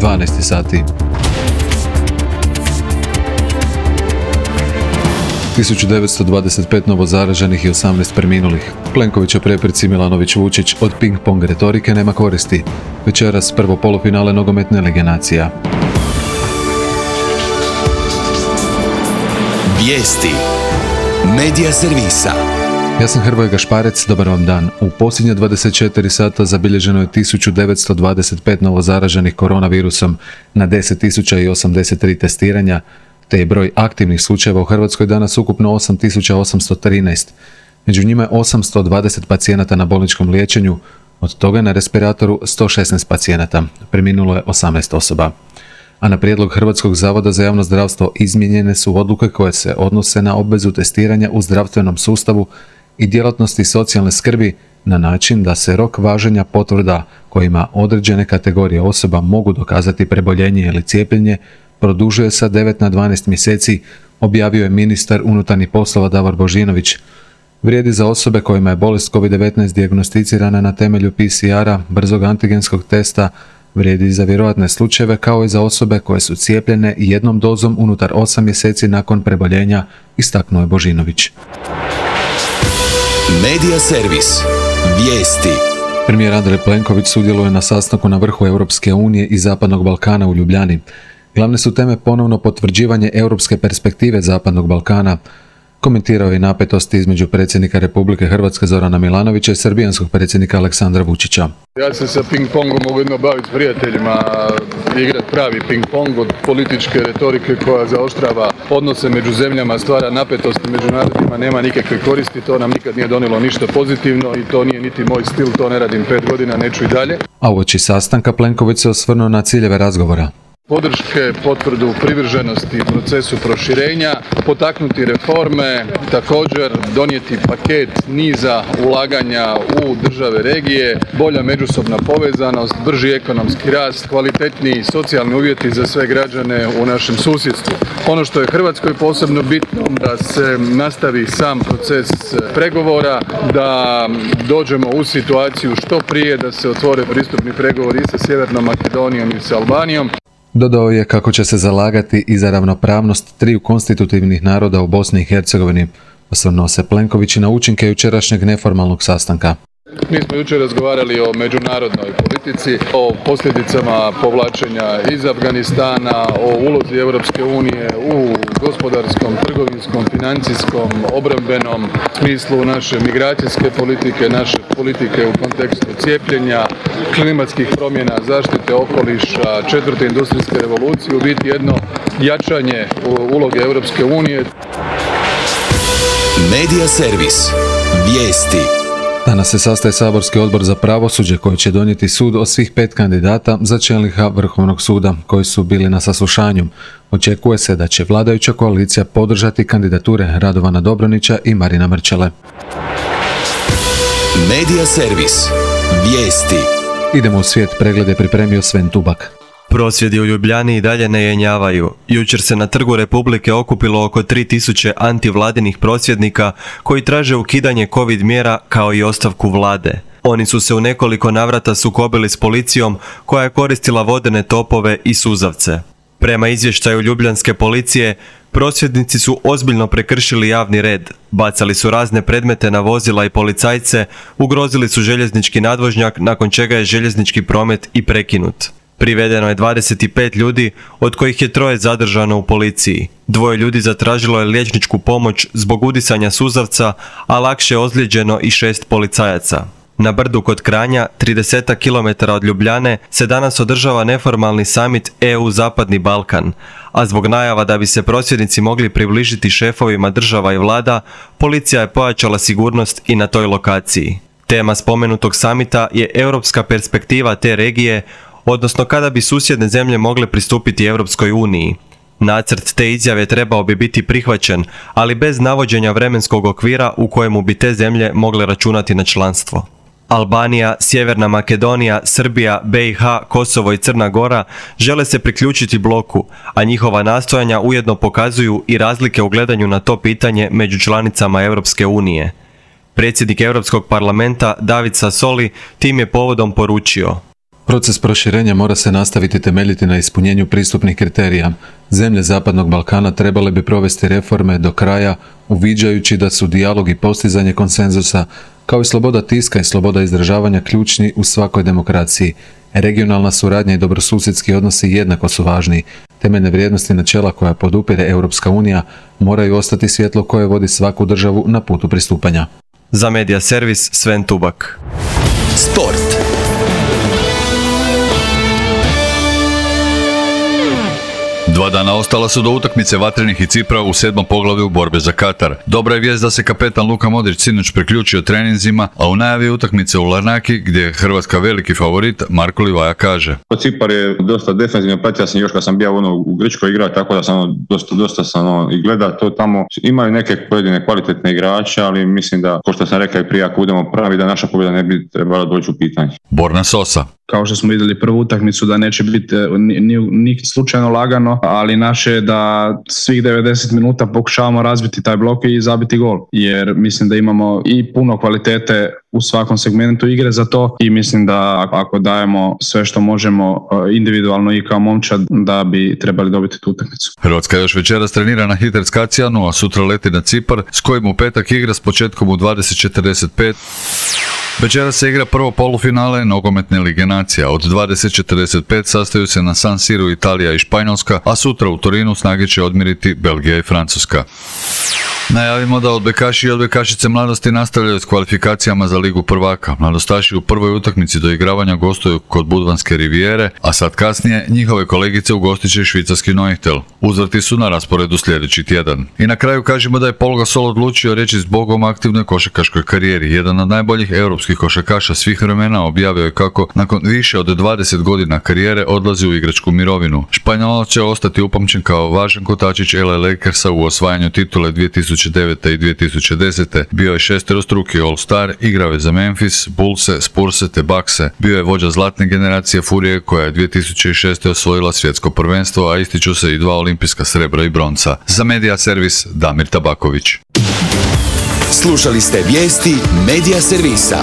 12 sati. 1925 novozaraženih i 18 preminulih. Plenković o prepreci Milanović-Vučić od ping-pong retorike nema koristi. Večeras prvo polufinale nogometne Lige nacija. Vijesti Medija servisa. Ja sam Hrvoje Gašparec, dobar vam dan. U posljednje 24 sata zabilježeno je 1925 novozaraženih koronavirusom na 10.083 testiranja, te je broj aktivnih slučajeva u Hrvatskoj danas ukupno 8.813. Među njima je 820 pacijenata na bolničkom liječenju, od toga na respiratoru 116 pacijenata, preminulo je 18 osoba. A na prijedlog Hrvatskog zavoda za javno zdravstvo izmijenjene su odluke koje se odnose na obvezu testiranja u zdravstvenom sustavu i djelatnosti socijalne skrbi na način da se rok važenja potvrda kojima određene kategorije osoba mogu dokazati preboljenje ili cijepljenje produžuje sa 9 na 12 mjeseci, objavio je ministar unutarnjih poslova Davor Božinović. Vrijedi za osobe kojima je bolest COVID-19 dijagnosticirana na temelju PCR-a, brzog antigenskog testa, vrijedi za vjerojatne slučajeve kao i za osobe koje su cijepljene jednom dozom unutar 8 mjeseci nakon preboljenja, istaknuo je Božinović. Medija servis. Vijesti. Premijer Andrej Plenković sudjeluje na sastanku na vrhu Europske unije i Zapadnog Balkana u Ljubljani. Glavne su teme ponovno potvrđivanje europske perspektive Zapadnog Balkana. Komentirao je napetosti između predsjednika Republike Hrvatske Zorana Milanovića i srbijanskog predsjednika Aleksandra Vučića. Ja se sa ping-pongom mogu jedno baviti s prijateljima, igrati pravi ping-pong od političke retorike koja zaoštrava odnose među zemljama, stvara napetosti među narodima, nema nikakve koristi, to nam nikad nije donijelo ništa pozitivno i to nije niti moj stil, to ne radim 5 godina, neću i dalje. A uoči sastanka Plenković se osvrnuo na ciljeve razgovora. Podrške, potvrdu privrženosti procesu proširenja, potaknuti reforme, također donijeti paket niza ulaganja u države regije, bolja međusobna povezanost, brži ekonomski rast, kvalitetniji socijalni uvjeti za sve građane u našem susjedstvu. Ono što je Hrvatskoj posebno bitno, da se nastavi sam proces pregovora, da dođemo u situaciju što prije da se otvore pristupni pregovori i sa Sjevernom Makedonijom i sa Albanijom. Dodao je kako će se zalagati i za ravnopravnost triju konstitutivnih naroda u Bosni i Hercegovini. Osvrnuo se Plenković na učinke jučerašnjeg neformalnog sastanka. Mi smo jučer razgovarali o međunarodnoj politici, o posljedicama povlačenja iz Afganistana, o ulozi Europske unije u gospodarskom, trgovinskom, financijskom, obrambenom smislu naše migracijske politike, naše politike u kontekstu cijepljenja, klimatskih promjena, zaštite okoliša, 4. industrijske revolucije, u biti jedno jačanje uloge Europske unije. Medija servis. Vijesti. Danas se sastaje saborski odbor za pravosuđe koji će donijeti sud o svih 5 kandidata za čelnika Vrhovnog suda koji su bili na saslušanju. Očekuje se da će vladajuća koalicija podržati kandidature Radovana Dobronića i Marina Mrčele. Medija servis. Vijesti. Idemo u svijet, pregled je pripremio Sven Tubak. Prosvjedi u Ljubljani i dalje ne jenjavaju. Jučer se na Trgu Republike okupilo oko 3000 antivladinih prosvjednika koji traže ukidanje COVID mjera kao i ostavku vlade. Oni su se u nekoliko navrata sukobili s policijom koja je koristila vodene topove i suzavce. Prema izvještaju ljubljanske policije, prosvjednici su ozbiljno prekršili javni red, bacali su razne predmete na vozila i policajce, ugrozili su željeznički nadvožnjak nakon čega je željeznički promet i prekinut. Privedeno je 25 ljudi, od kojih je 3 zadržano u policiji. 2 ljudi zatražilo je liječničku pomoć zbog udisanja suzavca, a lakše je ozlijeđeno i 6 policajaca. Na brdu kod Kranja, 30 km od Ljubljane, se danas održava neformalni summit EU Zapadni Balkan, a zbog najava da bi se prosvjednici mogli približiti šefovima država i vlada, policija je pojačala sigurnost i na toj lokaciji. Tema spomenutog samita je europska perspektiva te regije, odnosno kada bi susjedne zemlje mogle pristupiti Europskoj uniji. Nacrt te izjave trebao bi biti prihvaćen, ali bez navođenja vremenskog okvira u kojemu bi te zemlje mogle računati na članstvo. Albanija, Sjeverna Makedonija, Srbija, BiH, Kosovo i Crna Gora žele se priključiti bloku, a njihova nastojanja ujedno pokazuju i razlike u gledanju na to pitanje među članicama Europske unije. Predsjednik Europskog parlamenta David Sassoli tim je povodom poručio: Proces proširenja mora se nastaviti temeljiti na ispunjenju pristupnih kriterija. Zemlje Zapadnog Balkana trebale bi provesti reforme do kraja, uviđajući da su dijalog i postizanje konsenzusa, kao i sloboda tiska i sloboda izražavanja ključni u svakoj demokraciji. Regionalna suradnja i dobrosusjedski odnosi jednako su važni. Temeljne vrijednosti načela koja podupire Europska unija moraju ostati svjetlo koje vodi svaku državu na putu pristupanja. Za Media Servis Sven Tubak. Sport. Dva dana ostala su do utakmice Vatrenih i Cipra u 7. poglavlju borbe za Katar. Dobra je vijest da se kapetan Luka Modrić sinoć priključio treninzima, a u najavi utakmice u Larnaki, gdje je Hrvatska veliki favorit, Marko Livaja kaže: Cipar je dosta defensivno, pratio sam još kad sam bio u Grčkoj igrao, tako da sam dosta sam i gleda to tamo. Imaju neke pojedine kvalitetne igrače, ali mislim da, ko što sam rekao i prije, ako budemo pravi, da naša pobjeda ne bi trebala doći u pitanje. Borna Sosa. Kao što smo vidjeli prvu utakmicu, da neće biti ni slučajno lagano, ali naše je da svih 90 minuta pokušavamo razbiti taj blok i zabiti gol. Jer mislim da imamo i puno kvalitete u svakom segmentu igre za to i mislim da ako dajemo sve što možemo individualno i kao momčad, da bi trebali dobiti tu utakmicu. Hrvatska još večeras trenira na Hitec Kacijanu, a sutra leti na Cipar, s kojim u petak igra s početkom u 20:45. Večeras se igra prvo polufinale nogometne lige nacija. Od 20:45 sastaju se na San Siru Italija i Španjolska, a sutra u Torinu snage će odmiriti Belgija i Francuska. Najavimo da odbojkaši i odbojkašice mladosti nastavljaju s kvalifikacijama za Ligu prvaka. Mladostaši u prvoj utakmici doigravanja gostuju kod Budvanske rivijere, a sad kasnije njihove kolegice ugostit će švicarski Neuchtel. Uzvrti su na rasporedu sljedeći tjedan. I na kraju kažemo da je Paul Gasol odlučio reći zbogom aktivnoj košarkaškoj karijeri. Jedan od najboljih europskih košarkaša svih vremena objavio je kako nakon više od 20 godina karijere odlazi u igračku mirovinu. Španjolac će ostati upamćen kao važan kotačić LA Lakersa u osvajanju titule 2009. i 2010. Bio je šesterostruki All-Star, igrao je za Memphis, Bullse, Spurse te Buckse. Bio je vođa zlatne generacije Furije koja je 2006. osvojila svjetsko prvenstvo, a ističu se i 2 olimpijska srebra i bronca. Za Media Servis Damir Tabaković. Slušali ste vijesti Media Servisa.